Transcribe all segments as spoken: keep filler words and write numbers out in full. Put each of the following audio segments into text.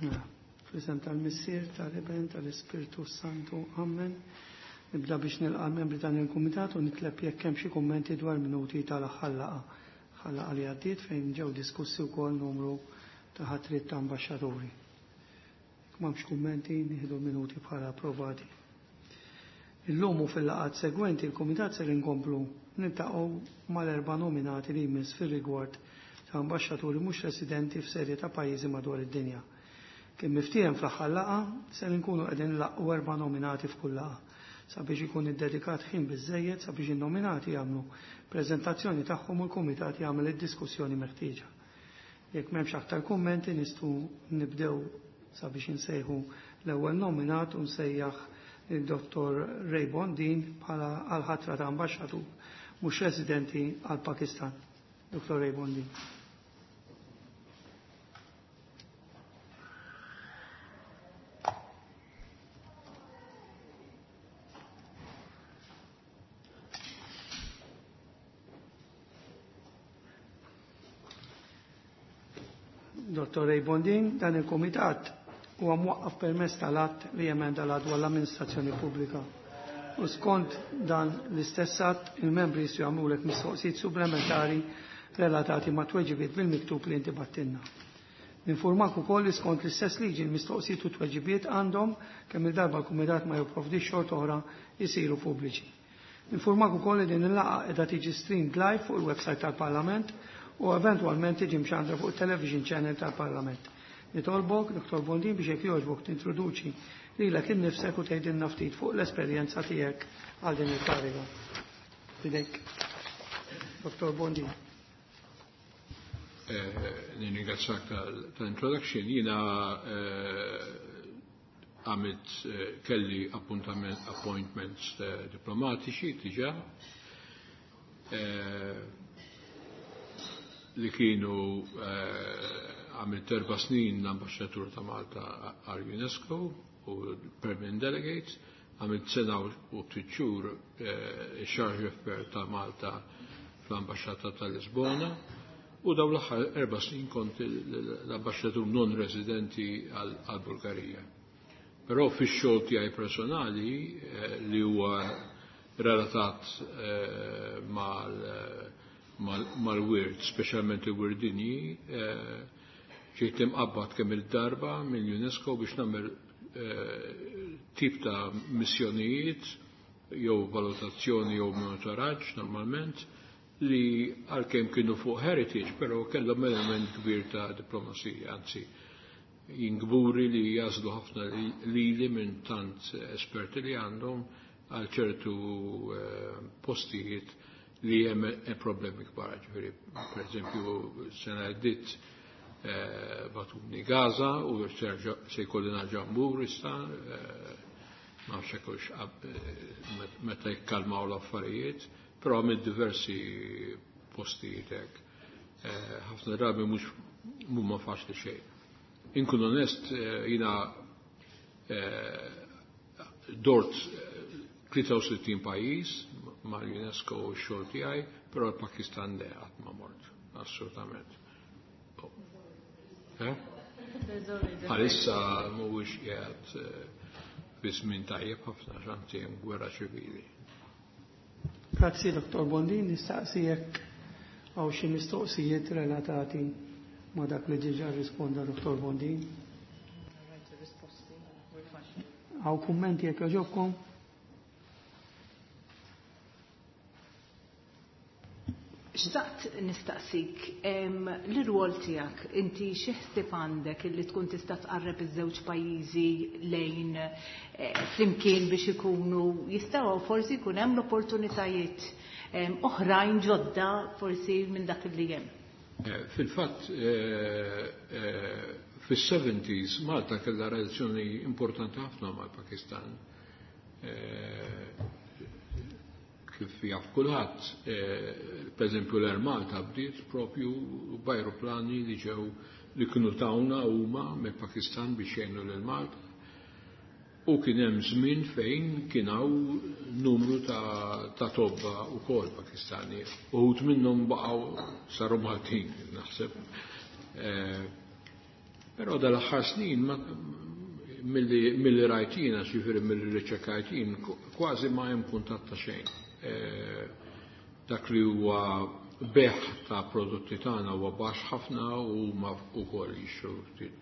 Mela, fl-isem tal-Missier, tal-Iben, tal-Ispirtu Santu, Amen. Nibda biex nilqa' membri dan il-kumitat u nitleb jekk hemm xi kummenti dwar minuti tal-aħħar laqgħa. Laqgħa li għaddiet fejn ġew diskussi wkoll numru ta' ħatriet ta' ambaxxaturi. Jekk m'hemmx kummenti, nieħdu minuti bħala approvati. Illum u fil-laqgħat segwenti il-kumitat ser inkomplu niltaqgħu mal-erba' nominati li jmiss fir-rigward ta' ambaxxaturi mhux residenti f'serje ta' pajjiżi madwar id-dinja. Kien miftiehem fl-aħħar laqgħa ser inkunu qegħdin nlaqqgħu erba' nominati f'kull laqgħa sabiex ikun iddedikat ħin biżejjed sabiex in-nominati jagħmlu preżentazzjoni tagħhom u l-kumitat jagħmel id-diskussjoni meħtieġa. Jekk m'hemmx aktar kummenti nistgħu nibdew sabiex insejħu l-ewwel nominat u nsejjaħ il-Dottor Ray Bondin bħala għal-ħatra ta' ambaxxatur mhux residenti għal Pakistan. Dottor Ray Bondin. Dottor Ray Bondin, dan il-komitat huwa mwaqqaf permezz tal-att li jemenda l-att dwar l-amministrazzjoni pubblika. U skont dan l-istess att, il-membri jistgħu jagħmlulek mistoqsijiet supplementari relatati ma' tweġibiet bil-miktub li inti battilna. Ninformak ukoll li skont l-istess liġi l-mistoqsijiet u tweġibiet għandhom kemm il-darba l-kumitat ma jipprovdix xorta oħra jsiru pubbliċi. Ninformak ukoll li din il-laqgħa qiegħda tiġi streamed live fuq il-website tal-Parlament u eventwalment tiġi mxandra fuq il-television channel tal-Parlament. Nitolbok, Dottor Bondin, biex jekk jogħġbok tintroduċi lilek innifsek u tgħidilna ftit fuq l-esperjenza tiegħek għal din il-kariga. Fidejk. Dottor Bondin. Nirringrazzjak tal-introduction. Jiena għamilt kelli appuntament, appointments diplomatiċi diġà li kienu għamilt erba' snin l-ambaxxatur ta' Malta għal UNESCO u permanent delegates, għamilt sena u ftit xhur charge d'affaires ta' Malta fl-ambaxxata ta' Lisbona u dawn l-aħħar erba' snin kont l-ambaxxatur non residenti għal Bulgarija. Però fix-xogħol tiegħi personali li huwa relatat mal-wirt, speċjalment il-wirt dinji, ġejt imqabbad kemm il-darba mill-UNESCO biex nagħmel tip ta' missjonijiet jew valutazzjoni jew monitoraġġ normalment li għalkemm kienu fuq heritage, però kellhom element kbir ta' diplomazija, anzi jingburi li jażlu ħafna lili minn tant esperti li għandhom għal ċertu postijiet li hemm problemi kbar, ġifieri per eżempju sena għaddiet batuni Gaza u se jkolli nerġa' mmur issa, ma nafx hekk meta jikkalmaw l-affarijiet, però minn diversi postijiet hekk. Ħafna drabi mhux mhuma faċli xejn. Inkun onest, jiena dort tlieta u sittin pajjiż mal-UNESCO u x-xogħol tiegħi, però l-Pakistan le qatt ma mort, assolutament. Għalissa mhuwiex qiegħed fi żmien tajjeb ħafna x'anzi hemm gwerra ċivili. Grazzi, Dottor Bondin, nistaqsi jekk hawn xi mistoqsijiet relatati ma' dak li diġà rrisponda Dottor Bondin. Hawn kummenti jekk jogħġobkom? Xtaqt nistaqsik, l-rwol tiegħek, inti xi ħsieb għandek illi tkun tista' tqarreb iż-żewġ pajjiżi lejn flimkien biex ikunu jistgħu forsi jkun hemm l-opportunitajiet oħrajn ġodda forsi minn dak li hemm. Fil-fatt, fis-seventies Malta kellha relazzjoni importanti ħafna mal-Pakistan. Kif jaf kulħadd, per eżempju l-Air Malta bdiet propju b'ajruplani li ġew li kienu tawna huma mill-Pakistan biex jgħinu lil Malta. U kien hemm żmien fejn kien hawn numru ta', ta' tobba wkoll Pakistani. Uħud minnhom baqgħu saru Maltin, naħseb. Però dal-aħħar snin milli rajtina, ġifieri milli riċerkajtin, kważi ma hemm kuntatt ta' xejn. Dak li huwa beħ ta' prodotti tagħna huwa baxx ħafna u ma wkoll jixtru ftit.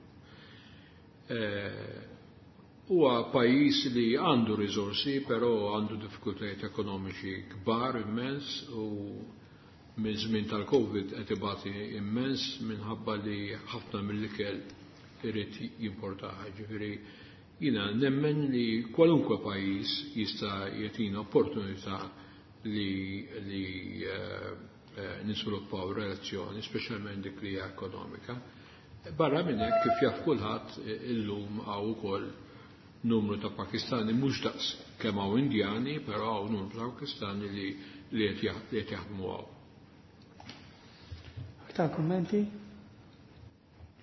Huwa pajjiż li għandu riżorsi, però għandu diffikultajiet ekonomiċi kbar immens u minn żmien tal-Covid qed ibati immens minħabba li ħafna mill-ikel irid jimportaha. Ġifieri jiena nemmen li kwalunkwe pajjiż jista' jagħtina opportunità li li niżviluppaw relazzjoni, speċjalment dik li hija ekonomika. Barra minn hekk kif jaf kulħadd illum hawn ukoll numru ta' Pakistani mhux daqs kemm hawn Indjani, però hawn numru ta' Pakistani li li qed jaħdmu hawn. Aktar kummenti?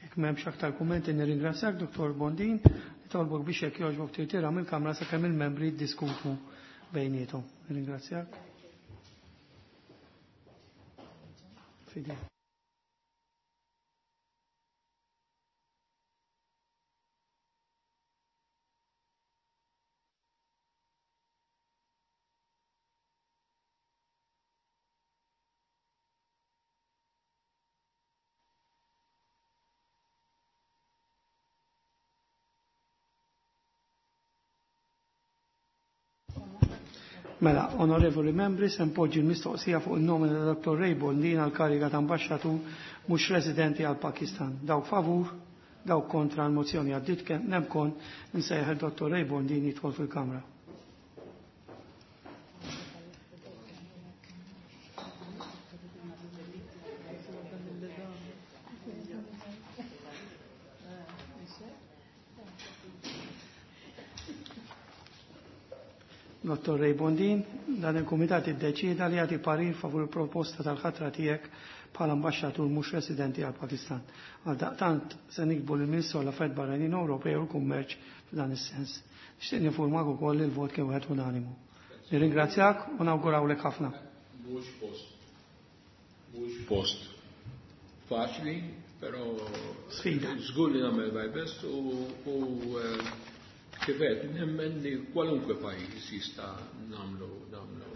Jekk m'hemmx aktar kummenti nirringrazzjak Dottor Bondin, nitolbok biex jekk jogħġbok tirtira mill-Kamra sakemm il-membri jiddiskutu bejniethom. Nirringrazzjak. Fidi. Mela, onorevoli membri, se npoġġi l-mistoqsija fuq il-nomina ta' Dottor Ray Bondin għal kariga ta' ambaxxatur mhux residenti għal Pakistan. Dawk favur, dawk kontra l-mozzjoni għaddit kemm nemkon nsejħ il-Dottor Ray Bondin jidħol fil-Kamra. Dottor Ray Bondin, dan il-Kumitat iddeċieda li jagħti parir favur il-proposta tal-ħatra tiegħek bħala ambaxxatur mhux residenti għal Pakistan. Għaldaqtant se nikbu lill-Ministru għall-Affarijiet Barranin Ewropej u l-Kummerċ f'dan is-sens. Nixtieq ninfurmak ukoll li l-vot kien wieħed unanimu. Nirringrazzjak u nawgurawlek ħafna. Mhux post. Mhux post faċli, però sfida. Żgur li nagħmel my best u, u kif qed nemmen li kwalunkwe pajjiż jista' nagħmlu nagħmlu.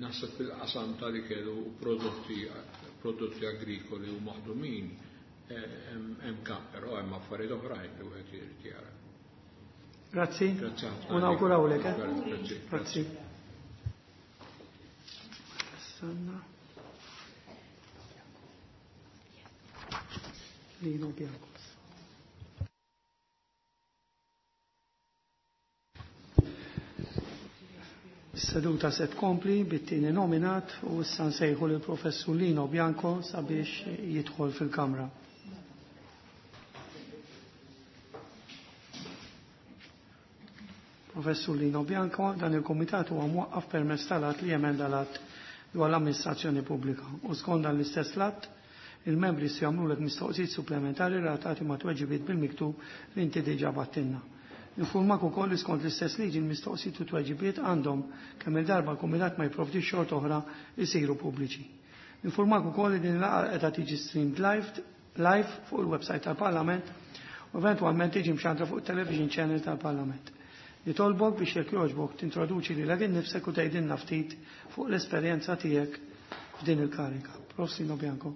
Naħseb fil-qasam tal-ikel u prodotti prodotti agrikoli u maħdumin hemm kamp, però hemm affarijiet oħrajn li wieħed irid jara. Grazzi. Grazzi ħafna. U nawgurawlek. Grazzi. Grazzi. Sanna. Lino Bianco. Seduta se tkompli bit-tieni nominat u issa nsejħu lill professur Lino Bianco sabiex jidħol fil-Kamra. Professur Lino Bianco, dan il-Kumitat huwa mwaqqaf permezz tal-att li jemenda l-att dwar l-amministrazzjoni pubblika u skont dan l-istess att il-membri se jagħmlulek mistoqsijiet supplementari relatati ma' tweġibiet bil-miktub li inti diġà battilna. Informak ukoll li skont l-istess liġi l-mistoqsijiet u tweġibiet għandhom kemm il-darba l-Kumitat ma jipprovdix xort oħra jsiru pubbliċi. Informak ukoll li din il-laqgħa qiegħda tiġi streamed live, live fuq il-website tal-Parlament u eventwalment tiġi mxandra fuq il-television channel tal-Parlament. Nitolbok biex jekk jogħġbok tintroduċi lilek innifsek u tgħidilna ftit fuq l-esperjenza tiegħek f'din il-karika. Prof. Lino Bianco.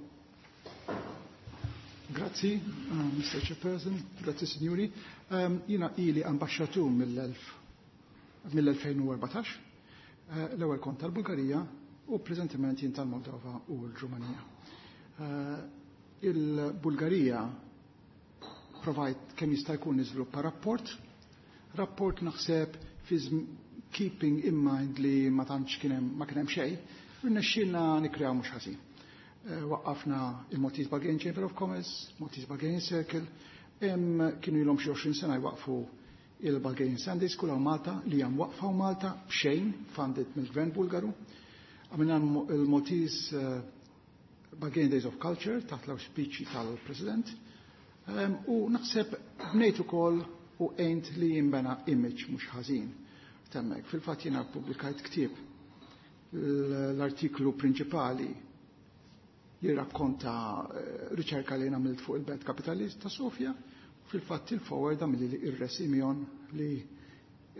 Grazzi, uh, Mister Chairperson, grazzi signori. Um, jina ili ambasċatur mill-elfejn u erbatax, uh, l-ewwel kont tal-Bulgarija u preżentiment jien tal-Moldova u l-Ġumanija. Uh, Il-Bulgarija provajt kemm jista' jkun niżviluppa rapport, rapport naħseb fi keeping in mind li ma tantx kien hemm ma kien hemm xejn, irnexxielna nikkreaw mhux ħażin. Waqqafna il-Maltese Bulgarian Chamber of Commerce, Maltese Bulgarian Circle, hemm kienu ilhom xi għoxrin sena jwaqfu il-Bulgarian Sunday School hawn Malta li hemm waqfa hawn Malta b'xejn funded mill-Gvern Bulgaru. Għamilna il-Maltese Bulgarian Days of Culture taħt l-auspiċi tal-President. U naħseb bnejt ukoll u għejnt li jinbena image mhux ħażin. Temmek, fil-fatt jiena ppubblikajt ktieb l-artiklu prinċipali Jirrakkonta eh, riċerka li għamilt fuq il-Belt Kapitalist ta' Sofja. Fil-fatt il-foreword għamilli ir-Re Simeon, li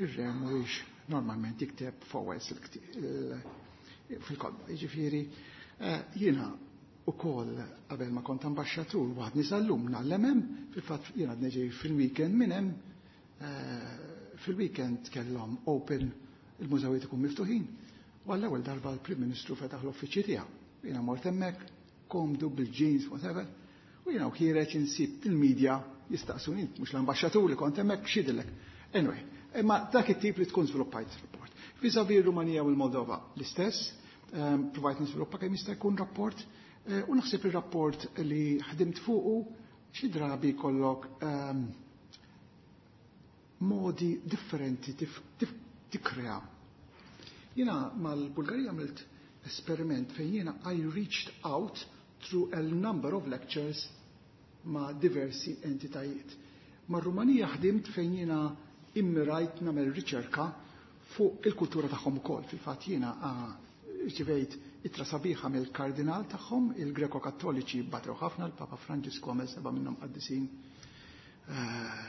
ir-re mhuwiex normalment jikteb forewords fil-kotba. Jiġifieri eh, jiena ukoll qabel ma kont ambaxxatur waħdni sal-lum ngħallem hemm, fil-fatt jiena neġi fil-weekend minn hemm, eh, fil-weekend kellhom open, il-mużewijiet ikun miftuħin. U għall-ewwel darba l-Prim Ministru fetaħ l-uffiċċji tiegħu. Jiena mort hemmhekk, komdu bil-jeans, whatever, u jiena u ħiereġ insib il-medja jistaqsuni, mhux l-ambaxxatur li kont hemmhekk x'jidhirlek. Anyway, imma dak it-tip li tkun żviluppajt rapport. Vis-à-vis Rumanija u l-Moldova l-istess, ehm, provajt niżviluppa kemm jista' jkun rapport, eh, u naħseb il-rapport li ħdimt fuqu xi drabi kollok ehm, modi differenti tikkrea. Jiena mal-Bulgarija għamilt esperiment fejn jiena I reached out through a number of lectures ma' diversi entitajiet. Ma' Rumanija ħdimt fejn jiena immirajt nagħmel riċerka fuq il-kultura tagħhom ukoll. Fil-fatt jiena rċivejt ittra sabiħa mill-kardinal tagħhom, il-Greko Kattoliċi batew ħafna, l-Papa Franġisku għamel seba' minnhom qaddisin eh,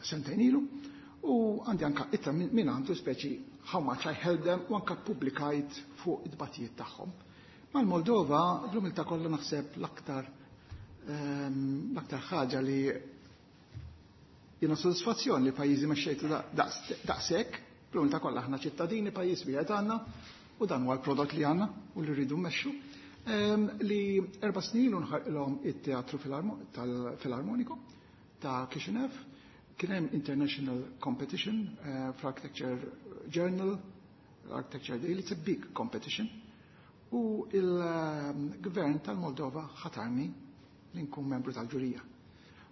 sentejn ilu, u għandi anka ittra minn għandu speċi how much I helped them u anka publikajt fuq id-batijiet tagħhom. Mal-Moldova, l-umilta kollha naħseb l-aktar ehm, l-aktar ħaġa li jiena soddisfazzjon li pajjiżi mexxejtu daqshekk, l-umilta kollha aħna ċittadini pajjiż wieħed għandna u dan huwa l-prodott li għandna u li rridu mmexxu. Ehm, li erba' snin ilu nħarqilhom it-teatru filarmoniku ta' Kishinev, kien hemm international competition uh, fl-Architecture Journal, Architecture Daily, it's a big competition. U il-gvern tal-Moldova ħatarni li nkun membru tal-ġurija.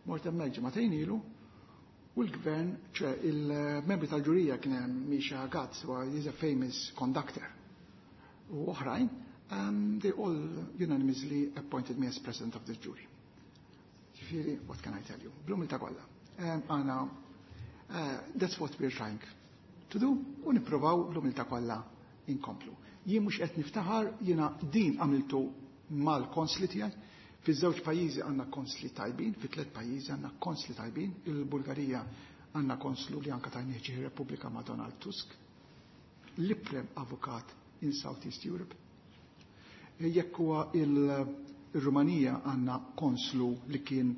Mort hemmhekk ġimagħtejn ilu u l-gvern, ċe il-membri tal-ġurija kien hemm Misha Gats, who is a famous conductor. U oħrajn, um, they all unanimously appointed me as president of this jury. Ġifieri, what can I tell you? Bl-umilta kollha. Għana, uh, that's what we're trying to do, u nipprovaw bl-umilta kollha inkomplu. Jien mhux qed niftaħar, jiena din għamiltu mal-konsli tiegħi. Fiż-żewġ pajjiżi għandna konsli tajbin, fi tliet pajjiżi għandna konsli tajbin, il-Bulgarija għandna konslu li anka tajnieh Repubblika ma' Donald Tusk, l-iprem avukat in Southeast Europe. Jekk huwa il-Rumanija għandna konslu li kien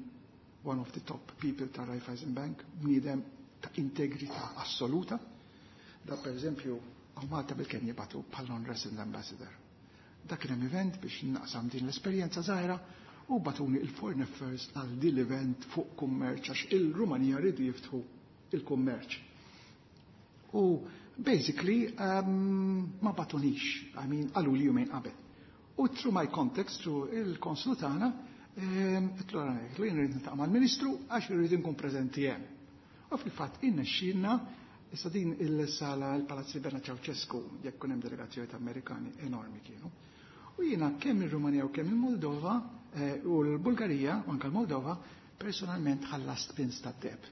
one of the top people ta' Raiffeisen Bank, bniedem ta' integrità assoluta. Da per eżempju, għaw Malta bil-Kenja batu bħal non-resident ambassador. Dak kien hemm event biex naqsam din l-esperjenza żgħira u bagħtuni il-Foreign Affairs għal din l-event fuq kummerċ għax il-Rumanija rridu jiftħu il-kummerċ. U basically um, ma bagħtunix, I mean, qalu li jumejn qabel. U through my context, through il-konslu tagħna, għedtlu jien rrid niltaqa' mal-Ministru għax irrid nkun preżenti hemm. U fil-fatt innexxielna. Issa din il-sala il-Palazzi Bernard Ceausescu, jekk hemm delegazzjoni Amerikani enormi kienu. U jiena kemm il-Rumanija u kemm il-Moldova eh, u l-Bulgarija u anke l-Moldova personalment ħallast pins ta' deb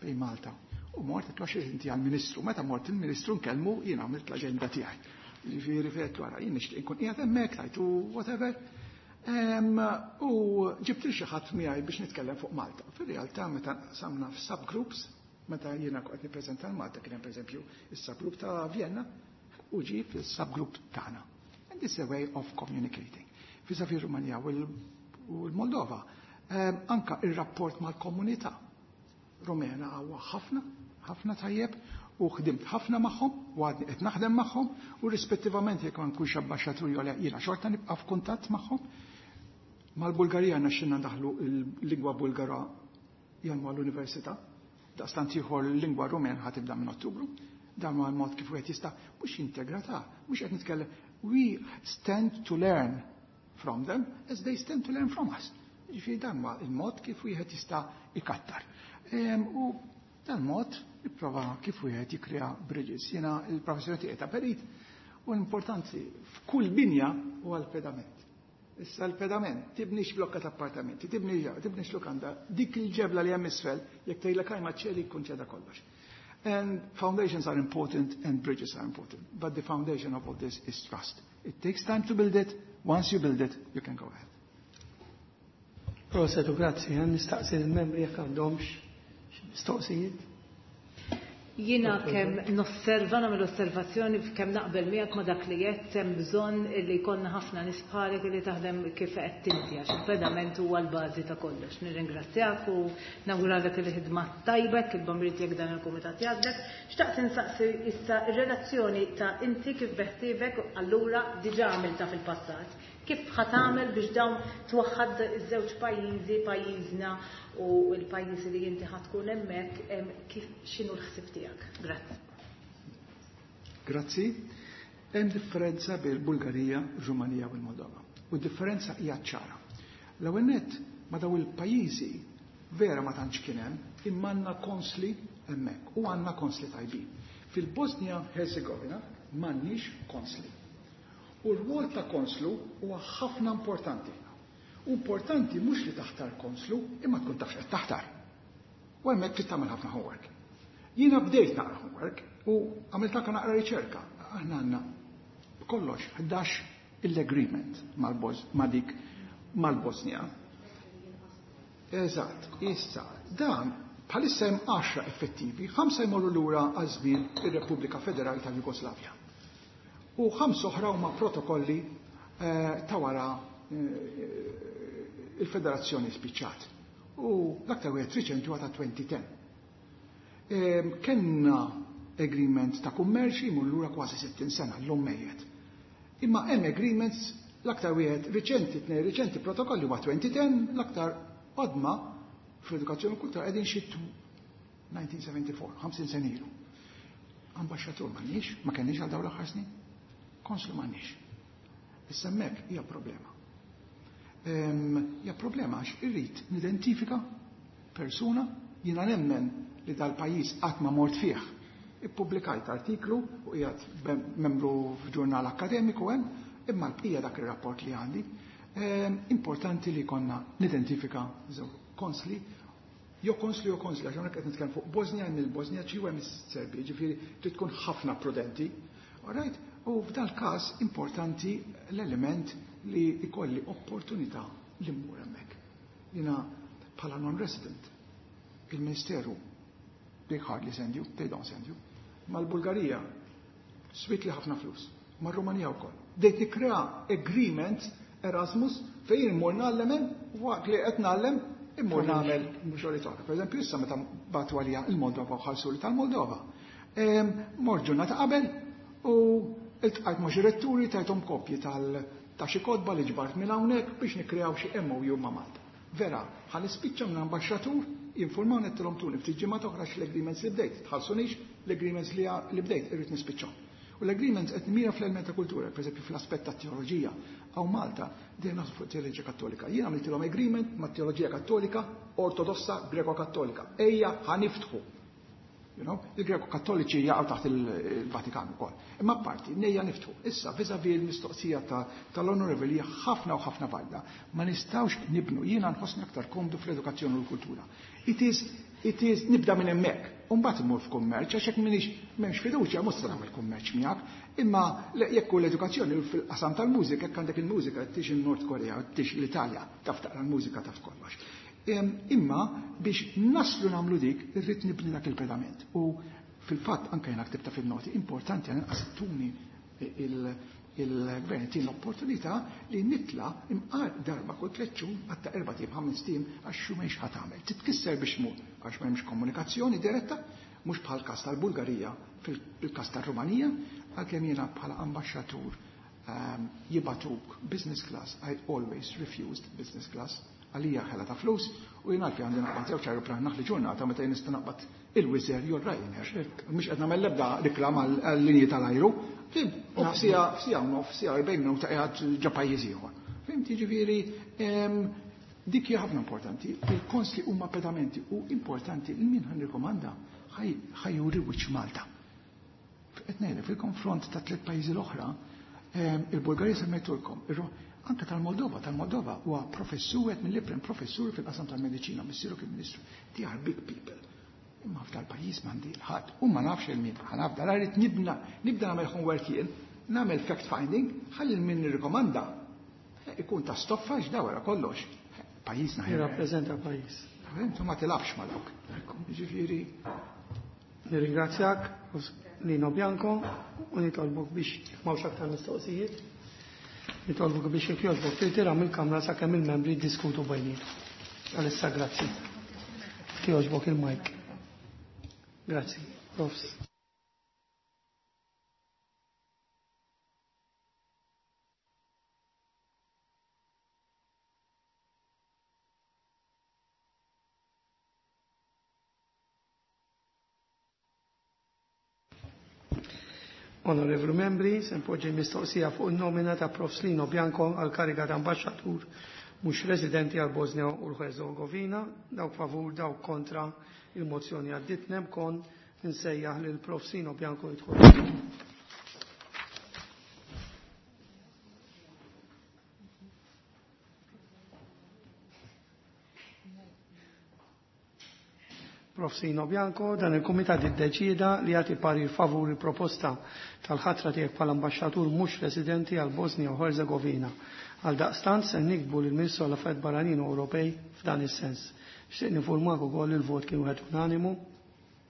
bejn Malta. U mort għedtlu għax inti għal-Ministru, meta mort il-Ministru nkellmu jiena għamilt l-aġenda tiegħi. Ġifieri fejt wara jien nixtieq inkun qiegħed hemmhekk tajtu whatever. U ġibt xi ħadd miegħi biex nitkellem fuq Malta. Fir-realtà meta samna f'subgroups, meta jiena qed nippreżenta l-Malta kien hemm pereżempju is-subgroup ta' Vienna u ġie fis-subgroup tagħna. And this is a way of communicating. Vis-à-vis Rumanija u l-Moldova, anka il-rapport mal-komunità Rumena huwa ħafna, ħafna tajjeb u ħdimt ħafna magħhom u għadni qed naħdem magħhom u rispettivament jekk ma nkunx ambaxxatur jew le jiena xorta nibqa' f'kuntatt magħhom. Mal-Bulgarija naxxinna ndaħlu l-lingwa Bulgara jgħallmu għall-università. Daqstant ieħor l-lingwa Rumen ħa tibda minn Ottubru. Dan huwa l-mod kif wieħed jista' mhux integrata, mhux qed nitkellem. We stand to learn from them as they stand to learn from us. Ġifieri dan huwa il-mod kif wieħed jista' ikattar. U dan mod nipprova kif wieħed jikkrea bridges. Jiena il-professjoni tiegħi ta' perit u l-importanti f'kull binja huwa l-pedament. Issa l-pedament, tibnix blokka ta' appartamenti, tibnix tibnix lukanda, dik il-ġebla li hemm isfel, jekk tgħidlek ma ċeli jkun ċeda kollox. And foundations are important and bridges are important. But the foundation of all this is trust. It takes time to build it. Once you build it, you can go ahead. Proset u grazzi, nistaqsi l-membri jekk għandhomx xi mistoqsijiet. Jiena kemm nosserva, nagħmel osservazzjoni kemm naqbel miegħek ma' dak li qed hemm bżonn li jkollna ħafna nies bħalek li taħdem kif qed inti għax il-pedament huwa l-bażi ta' kollox. Nirringrazzjak u nawguralek il-ħidma tajba il-bamrit jekk dan il-kumitat jgħaddek. Xtaqt insaqsi issa ir-relazzjoni ta' inti kif beħsiebek allura diġà għamilta fil-passat. Kif ħa tagħmel biex dawn twaħħad iż-żewġ pajjiżi, pajjiżna u l-pajjiżi li inti ħa tkun hemmhekk, kif x'inhu l-ħsieb tiegħek? Grazzi. Grazzi. Hemm differenza bejn il-Bulgarija, Rumanija u l-Moldova. U d-differenza hija ċara. L-ewwel nett ma' daw il-pajjiżi vera ma tantx kien hemm, imma għandna konsli hemmhekk u għandna konsli tajbin. Fil-Bosnia Herzegovina m'għandniex konsli. U r-rwol ta' konslu huwa ħafna importanti. Importanti mhux li taħtar konslu, imma tkun taf x'qed taħtar. U hemmhekk trid tagħmel ħafna homework. Jiena bdejt naqra homework u għamilt anke naqra riċerka. Aħna għandna b'kollox ħdax il-agreement ma' dik mal-Bosnia. Eżatt, issa, dan bħalissa hemm għaxra effettivi, ħamsa jmorru lura għal żmien ir-Repubblika Federali tal-Jugoslavja. U ħamsa oħra huma protokolli ta' wara il-federazzjoni spiċċat. U l-aktar wieħed riċenti huwa ta' twenty ten. Kenna agreement ta' kummerċ jmur lura kważi sittin sena llum mejjet. Imma hemm agreements l-aktar wieħed riċenti, tnejn riċenti protokolli huwa twenty ten, l-aktar qodma fl-edukazzjoni u kultura qegħdin xi nineteen seventy-four, ħamsin sena ilu. Ambaxxatur m'għandniex, ma kenniex għal dawn l-aħħar snin. Konslu m'għandniex. Issa hemmhekk hija problema. Hija problema għax irrid nidentifika persuna jiena nemmen li dal-pajjiż qatt ma mort fih. Ippubblikajt artiklu u qiegħed membru f'ġurnal akademiku hemm, imma l-bqija dak ir-rapport li għandi. Importanti li konna nidentifika żewġ konsli, jew konsli jew konsli, għax hawnhekk qed nitkellem fuq Bosnia, hemm il-Bosniaċi u hemm is-Serbi, jiġifieri trid tkun ħafna prudenti. All right? U f'dal każ importanti l-element li ikolli opportunità li mmur hemmhekk. Jiena bħala non-resident, il-Ministeru they hardly send you, they don't send you. Mal-Bulgarija swit li ħafna flus, mar-Rumanija wkoll. Dejt nikkrea agreement Erasmus fejn immur nagħllem hemm, waqt li qed nagħllem immur nagħmel xogħol oħra. Per eżempju, issa meta bagħtu għalija il-Moldova u ħallsuli tal-Moldova. Mort ġurnata qabel u iltqajt ma' xi retturi tajthom kopji tal ta' xi kotba li ġbart minn hawnhekk biex nikkreaw xi M O U ma' Malta. Vera, ħa nispiċċa minn ambaxxatur jinformawni qedtilhom tuni ftit ġimgħa oħra x-l-agreements li bdejt, tħallsunix l-agreements li, li bdejt irrid nispiċċhom. U l-agreements qed mira fl-element ta' kultura, pereżempju fl-aspett ta' teoloġija. Hawn Malta dejjem naħsbu fuq teoloġija kattolika. Jien għamiltilhom agreement ma' teoloġija kattolika ortodossa greko-kattolika. Ejja ħa niftħu. You know, il-Greko-Kattoliċi jaqgħu taħt il-Vatikan ukoll. Imma apparti, nejja niftħu. Issa, vis-à-vis il-mistoqsija tal-Onorevoli hija ħafna u ħafna valida. Ma nistgħux nibnu, jiena nħossni aktar komdu fl-edukazzjoni u l-kultura. It is, it is, nibda minn hemmhekk. U mbagħad immur f'kummerċ, għax hekk m'iniex m'hemmx fiduċja, mhux se nagħmel kummerċ miegħek. Imma jekk hu l-edukazzjoni fil-qasam tal-mużika, jekk għandek il-mużika, tix il-Nord Korea, tix l-Italja, taf taqra l-mużika, taf kollox. Imma biex naslu nagħmlu dik, irrid nibni dak il-pedament. U fil-fatt anke jiena ktibta fil-noti, importanti għal inqas tuni il-gvern tin l-opportunità li nitla imqar darba kull tliet xhur għatta erba' tim ħames tim għax xu m'hemmx ħadd tagħmel. Titkisser biex tmur għax m'hemmx komunikazzjoni diretta, mhux bħal każ tal-Bulgarija fil-każ tar-Rumanija, għalkemm jiena bħala ambaxxatur jibatuk business class, I always refused business class. Għalija ħela ta' flus u jien għalfi għandi naqbad żewġ aeroplan naħli ġurnata meta jien nista' naqbad il-Wizz Air jew Ryanair. Mhux qed nagħmel l-ebda reklam għal-linji tal-ajru. Fim, u f'sija, f'sija u nofs, f'sija erbgħin minuta qiegħed ġo pajjiż ieħor. Fim, jiġifieri, dik hija ħafna importanti. Il-konsli huma pedamenti u importanti li min ħan ħajjuri wiċċ Malta. Qed ngħidlek fil-konfront ta' tliet pajjiżi l-oħra, il-Bulgarija semmejtulkom, anke tal-Moldova, tal-Moldova huwa professur qed mill-iprem professur fil-qasam tal-mediċina, missieru kien ministru. They are big people. Imma f'dal pajjiż m'għandi l-ħadd u ma nafx il-min ħa nafda, la rrid nibna, nibda nagħmel homework jien, nagħmel fact finding, ħalli l-min nirrikomanda ikun ta' stoffa x'da wara kollox. Pajjiżna jirrappreżenta pajjiż. Intu ma tilabx ma dawk. Ġifieri. Nirringrazzjak Lino Bianco u nitolbok biex m'hawnx aktar mistoqsijiet. Nitolbok biex jekk jogħġbok tirtira mill-kamra sakemm il-membri jiddiskutu bejniethom. Għalissa grazzi. Jogħġbok il-mike. Grazzi. Profs. Onorevoli membri, se npoġġi mistoqsija fuq il-nomina ta' Profs Lino Bianco għal kariga ta' ambaxxatur mhux residenti għal Bosnia u l-Herzegovina. Dawk favur, dawk kontra, il-mozzjoni għaddit. Nemkon nsejjaħ lil Profs Lino Bianco jidħol. Profs Lino Bianco, dan il-Kumitat iddeċieda li jagħti parir favur il-proposta tal-ħatra tiegħek bħala ambaxxatur mhux residenti għal Bosnia u Herzegovina. Għal daqstant se nikbu lill Ministru għall Affarijiet Barranin u Ewropej f'dan is-sens. Xtieq nifurmak ukoll il-vot kien wieħed unanimu.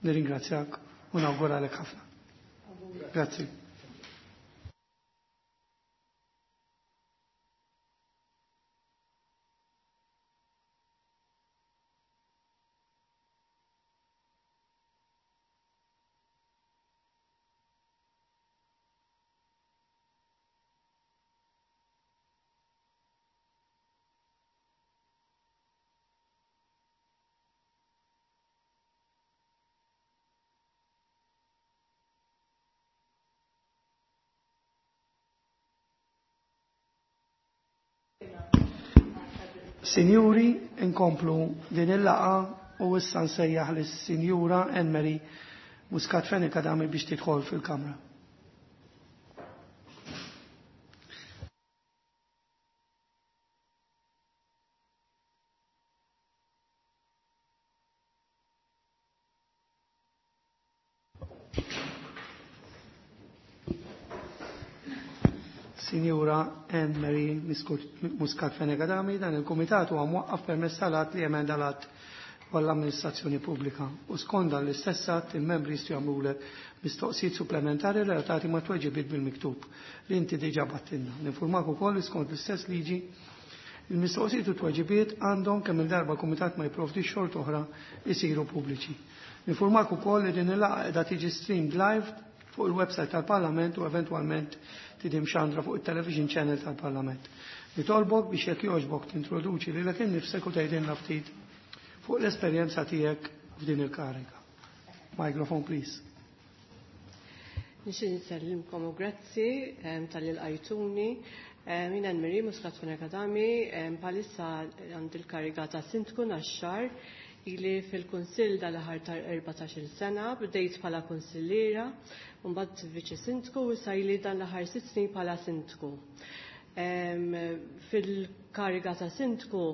Nirringrazzjak u nawguralek ħafna. Grazzi. Sinjuri, inkomplu din il-laqa u issa nsejjaħ lis-Sinjura Anne-Marie Muscat Fenech Adami biex tidħol fil-Kamra. Sinjura Anne-Marie Muscat Fenech Adami, dan il-Kumitat huwa mwaqqaf permezz tal-att li emenda l-att għall-amministrazzjoni pubblika u skont dan l-istess att il-membri jistgħu jagħmlulek mistoqsijiet supplementari relatati ma' tweġibiet bil-miktub li inti diġà battilna. Ninfurmak ukoll li skont l-istess liġi il-mistoqsijiet u tweġibiet għandhom kemm il-darba kumitat ma jipprovdix xort oħra jsiru pubbliċi. Ninfurmak ukoll li din il-laqgħa qiegħda tiġi streamed live fuq il-website tal-Parlament u eventwalment tidim xandra fuq il-television channel tal-Parlament. Nitolbok biex jekk jogħġbok tintroduċi lilek innifsek u tgħidilna ftit fuq l-esperjenza tiegħek f'din il-kariga. Microphone, please. Nixtieq nsellimkom u grazzi tal-li lqajtuni. Jien Anne-Marie Muscat Fenech Adami, bħalissa għandi l-kariga ta' Sindku Naxxar, ili fil-Kunsill dal-aħħar ta' erbatax-il sena, bdejt bħala kunsilliera, mbagħad viċi sindku u issa ili dan l-aħħar sitt snin bħala sindku. Fil-kariga ta' sindku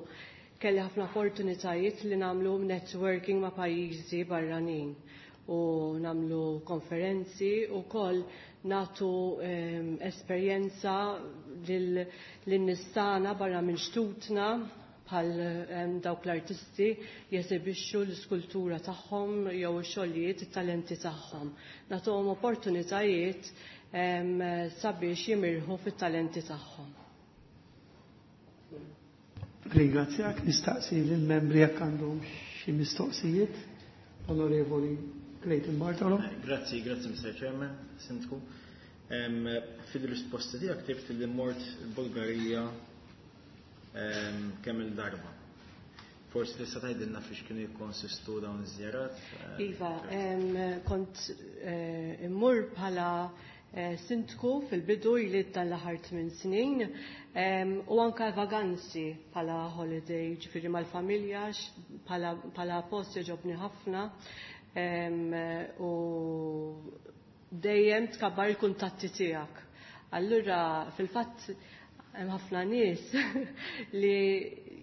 kelli ħafna opportunitajiet li nagħmlu networking ma' pajjiżi barranin u nagħmlu konferenzi u koll natu esperjenza lin-nistana barra minn xtutna bħal dawk l-artisti jesibixxu l-iskultura tagħhom jew ix-xogħlijiet it-talenti tagħhom. Nagħtuhom opportunitajiet sabiex jimirħu fit-talenti tagħhom. Ringrazzjak, nistaqsi lill-membri jekk għandhom xi mistoqsijiet. Onorevoli Clayton Bartolo. Grazzi, grazzi Mister Chairman, Sindku. Fil-risposta tiegħek ktibt li mort Bulgarija kemm il-darba. Forsi tista' tgħidilna fiex kienu jikkonsistu dawn iż-żjarat? Iva, kont immur bħala sindku fil-bidu ili tal-aħħar tmien snin u anka vaganzi bħala holiday, ġifieri mal-familja, bħala post jogħġobni ħafna u dejjem tkabbar il-kuntatti tiegħek. Allura fil-fatt hemm ħafna nies li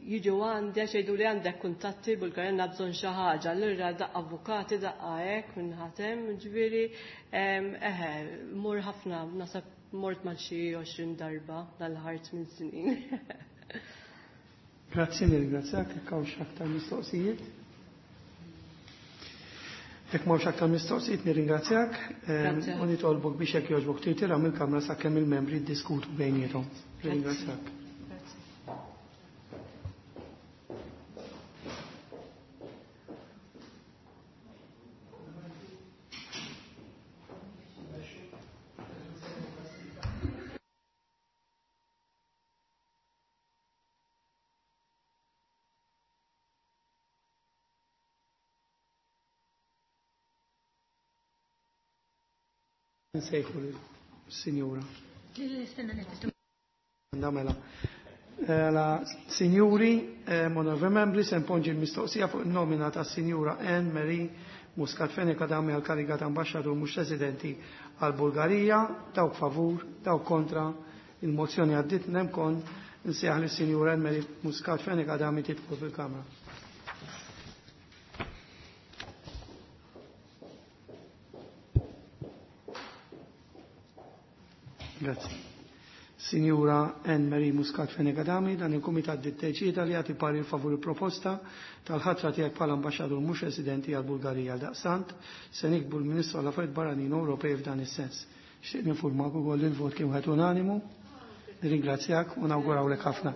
jiġu għandi għax jgħidu li għandek kuntatti Bulgarija għandna bżonn xi ħaġa, allura daqqa avukati, daqqa hekk minn ħatem, ġifieri eħe, mur ħafna, nasab mort mal xi għoxrin darba dal-ħar tmien snin. Grazzi, nirringrazzjak, jekk hawnx aktar mistoqsijiet. Jekk m'hawnx aktar mistoqsijiet nirringrazzjak u nitolbok biex jekk jogħġbok tirtira mill-kamra sakemm il-membri ddiskutu bejniethom. Nirringrazzjak. Nsejħu l-sinjura. Mela. La sinjuri, onorevoli membri, se nponġi l-mistoqsija fuq il-nomina ta' sinjura Anne Marie Muscat Fenech Adami għal kariga ta' ambasċatur mhux residenti għal Bulgarija, dawk favur, dawk kontra, il-mozzjoni għaddit nemkon nsejħ lis-sinjura Anne Marie Muscat Fenech Adami tidħol fil-Kamra. Grazie. Signora Anne Marie Muscat Fenech Adami, dan il-Kumitat ddeċida li jagħti parir favur il-proposta tal-ħatra tiegħek bħala ambaxxatur mhux residenti għal Bulgarija. Daqsant se nikbu l-Ministru għall Affarijiet Barranin Ewropej f'dan is-sens. Xtieq ninfurmak ukoll li l-vot kien wieħed unanimu. Nirringrazzjak u nawgurawlek ħafna.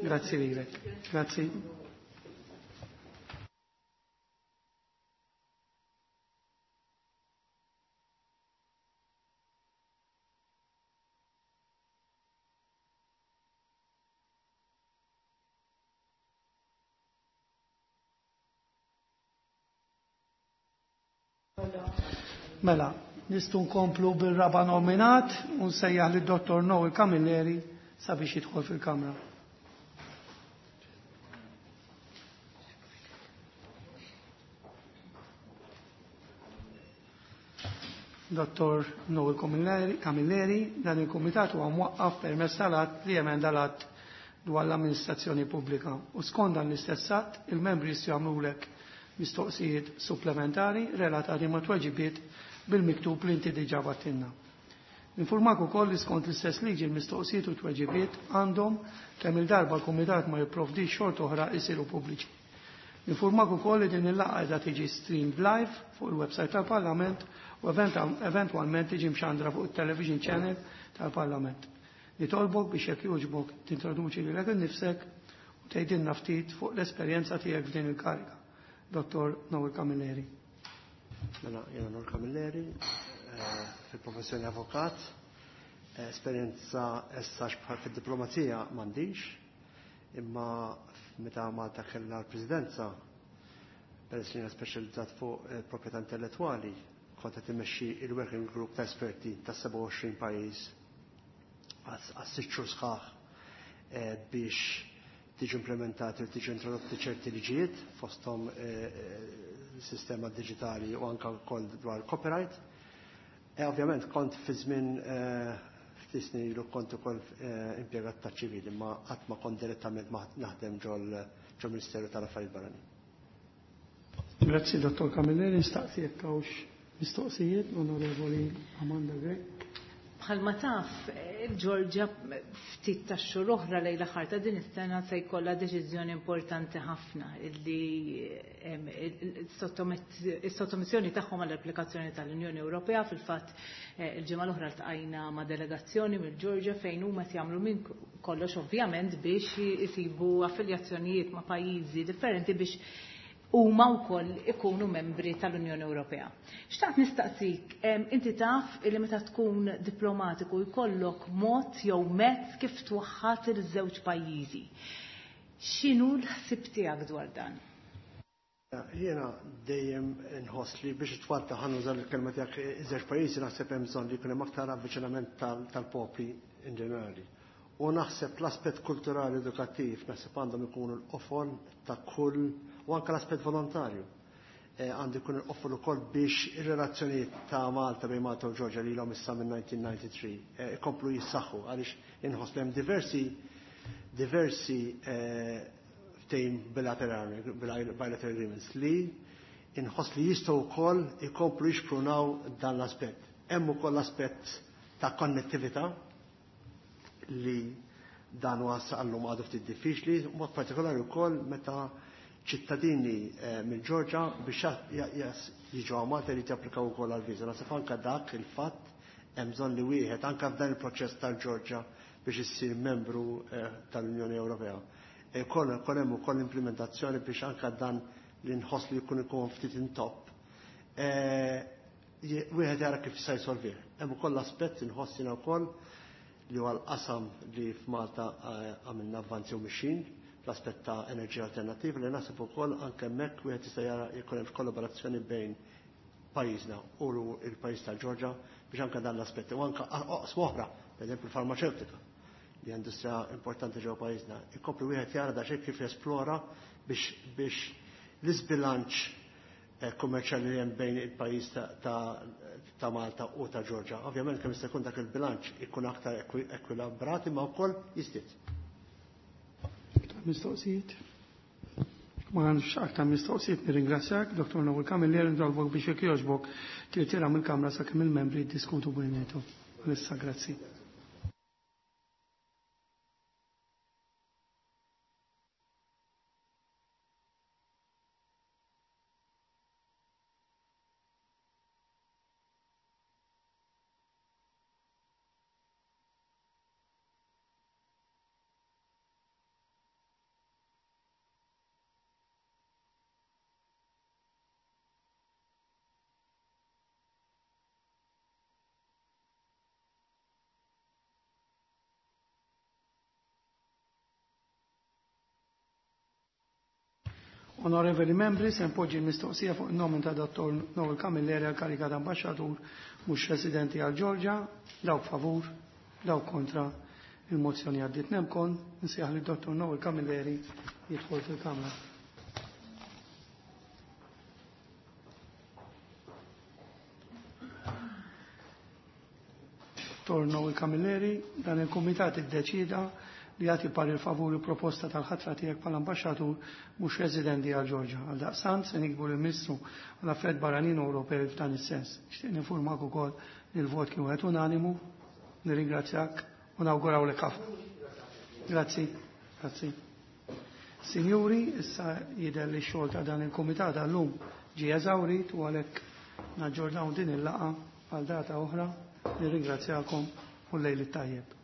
Grazzi lilek. Grazzi. Mela, nistgħu nkomplu bil-raba nominat u nsejjaħ lid Dottor Noel Camilleri sabiex jidħol fil-Kamra. Dottor Noel Camilleri, dan il-Kumitat huwa mwaqqaf permezz tal-att li emenda l-att dwar l-amministrazzjoni pubblika. U skont dan l-istess att, il-membri jistgħu jagħmlulek mistoqsijiet supplementari relatati ma' tweġibiet bil-miktub li inti diġà battilna. Informak ukoll li skont l-istess liġi l-mistoqsijiet u tweġibiet għandhom kemm il-darba l-Kumitat ma jipprovdix xort oħra jsiru pubbliċi. Informak ukoll li din il-laqgħa qiegħda tiġi streamed live fuq il-website tal-Parlament u eventwalment tiġi mxandra fuq it-television channel tal-Parlament. Nitolbok biex jekk jogħġbok tintroduċi lilek innifsek u tgħidilna ftit fuq l-esperjenza tiegħek f'din il-kariga. Dottor Noel Camilleri. Mela, jena Noel Camilleri, fil-professjoni avokat, esperjenza essa fil-diplomazija m'għandix, imma meta Malta kellha l-Presidenza, peress li jiena speċjalizzat fuq proprjetà intellettwali, kont qed immexxi il-working group ta' esperti ta' sebgħa u għoxrin pajjiż għas sitt xhur sħaħ biex tiġi implementati u tiġi introdotti ċerti liġijiet fosthom sistema digitali u anka wkoll dwar copyright. E ovvjament kont fi żmien ftit snin ilu kont ukoll impjegat ta' ċivili, ma qatt ma kont direttament naħdem ġol ġol Ministeru tal-Affarijiet Barranin. Grazzi Dottor Camilleri, nistaqsi jekk hawnx mistoqsijiet, Onorevoli Amanda Grech. Bħalma taf, il-Ġorġja ftit ta' xhur oħra lejn l-aħħar ta' din is-sena se jkollha deċiżjoni importanti ħafna illi is-sottomissjoni tagħhom għall-applikazzjoni tal-Unjoni Ewropea. Fil-fatt il-ġimgħa l-oħra ltqajna ma' delegazzjoni mill-Ġorġja fejn huma qed jagħmlu minn kollox ovvjament biex isibu affiljazzjonijiet ma' pajjiżi differenti biex huma wkoll ikunu membri tal-Unjoni Ewropea. Xtaqt nistaqsik, inti taf li meta tkun diplomatiku jkollok mod jew mezz kif twaħħat iż-żewġ pajjiżi. X'inhu l-ħsieb tiegħek dwar dan? Jiena dejjem nħoss li biex twatta ħanuża l-kelma tiegħek iż-żewġ pajjiżi naħseb hemm bżonn li jkun hemm aktar avviċinament tal-popli in ġenerali. U naħseb l-aspett kulturali edukattiv naħseb għandhom ikunu l-qofol ta' kull u anke l-aspett volontarju għandu jkun il-qofol ukoll biex ir-relazzjonijiet ta' Malta bejn Malta u Ġorġja li ilhom issa minn nineteen ninety-three ikomplu jissaħħu għaliex inħoss li hemm diversi diversi ftehim bilaterali, bilateral agreements li inħoss li jistgħu wkoll ikomplu jixprunaw dan l-aspett. Hemm ukoll l-aspett ta' konnettività li Dan huwa għallum għadu ftit diffiċli, mod partikolari wkoll meta ċittadini eh, minn Ġorġa biex jiġu Malta li japplikaw ukoll għal-viża. Naħseb anke dak il-fatt hemm bżonn li wieħed anke f'dan il-proċess tal-Ġorġa biex issir membru eh, tal-Unjoni Ewropea. Kol hemm ukoll implementazzjoni biex anke dan li nħoss li jkun ikun ftit intopp. Eh, wieħed jara kif se jsolvih. Hemm ukoll l-aspett inħoss jiena wkoll li huwa l-qasam li f'Malta eh, għamilna avvanzi u mixin fl-aspett ta' enerġija alternattiva li naħseb ukoll anke hemmhekk wieħed jista' jara jkun hemm kollaborazzjoni bejn pajjiżna u l-pajjiż tal-Ġorġa biex anke dan l-aspett u anke oqsma oħra, pereżempju l-farmaceutika li industrija importanti ġewwa pajjiżna. Ikompli wieħed jara da xejn kif jesplora biex biex l-isbilanċ eh, kummerċjali li hemm bejn il-pajjiż ta', ta Malta u ta' Ġorġa. Ovvjament kemm jista' jkun dak il-bilanċ ikun aktar ekwilibrat imma wkoll jiżdied. Mistoqsijiet? Ma għandx aktar mistoqsijiet nirringrazzjak, Dottor Noel Camilleri, nitolbok biex jekk jogħġbok tirtira mill-Kamra sakemm il-membri jiddiskutu bejniethom. Issa grazzi. Onorevoli membri, se npoġġi l-mistoqsija fuq il-nomen ta' Dottor Noel Camilleri għal karika ta' ambasċatur mhux residenti għal Ġorġa, dawk favur, dawk kontra il-mozzjoni għaddiet. Nemkon, nsejjaħ li Dottor Noel Camilleri jidħol fil-Kamra. Dottor Noel Camilleri, dan il-Kumitat iddeċida li jagħti parir favur il-proposta tal-ħatra tiegħek bħala ambaxxatur mhux residenti għal Ġorġa. Għal daqstant se nikbu lill-Ministru għal Affarijiet Barranin Ewropej f'dan is-sens. Nixtieq ninfurmak ukoll li l-vot kien wieħed unanimu. Nirringrazzjak u nawgurawlek ħafna. Grazzi, grazzi. Sinjuri, issa jidher li x-xogħol ta' dan il-kumitat għallum ġie eżawrit u għalhekk naġġornaw din il-laqgħa għal data oħra. Nirringrazzjakom u lejl it-tajjeb.